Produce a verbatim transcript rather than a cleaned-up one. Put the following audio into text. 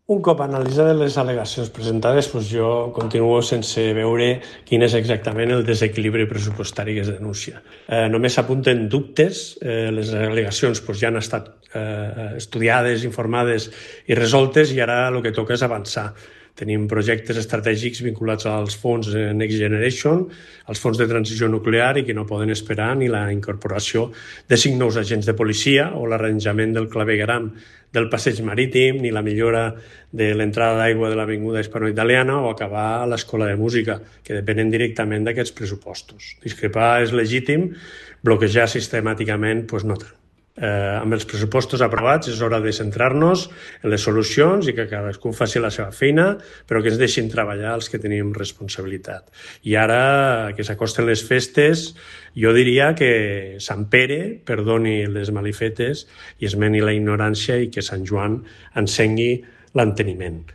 Un cop analitzades les al·legacions presentades, doncs jo continuo sense veure quin és exactament el desequilibri pressupostari que es denuncia. Eh, només s'apunten dubtes, eh, les al·legacions doncs, ja han estat eh, estudiades, informades i resoltes, i ara el que toca és avançar. Tenim projectes estratègics vinculats als fons Next Generation, als fons de transició nuclear, i que no poden esperar ni la incorporació de cinc nous agents de policia o l'arranjament del clavegueram del passeig marítim, ni la millora de l'entrada d'aigua de l'Avinguda Hispanoitaliana o acabar l'escola de música, que depenen directament d'aquests pressupostos. Discrepar és legítim, bloquejar sistemàticament doncs no tant. Eh, amb els pressupostos aprovats és hora de centrar-nos en les solucions i que cadascú faci la seva feina, però que ens deixin treballar els que tenim responsabilitat. I ara que s'acosten les festes, jo diria que Sant Pere perdoni les malifetes i esmeni la ignorància, i que Sant Joan encengui l'enteniment.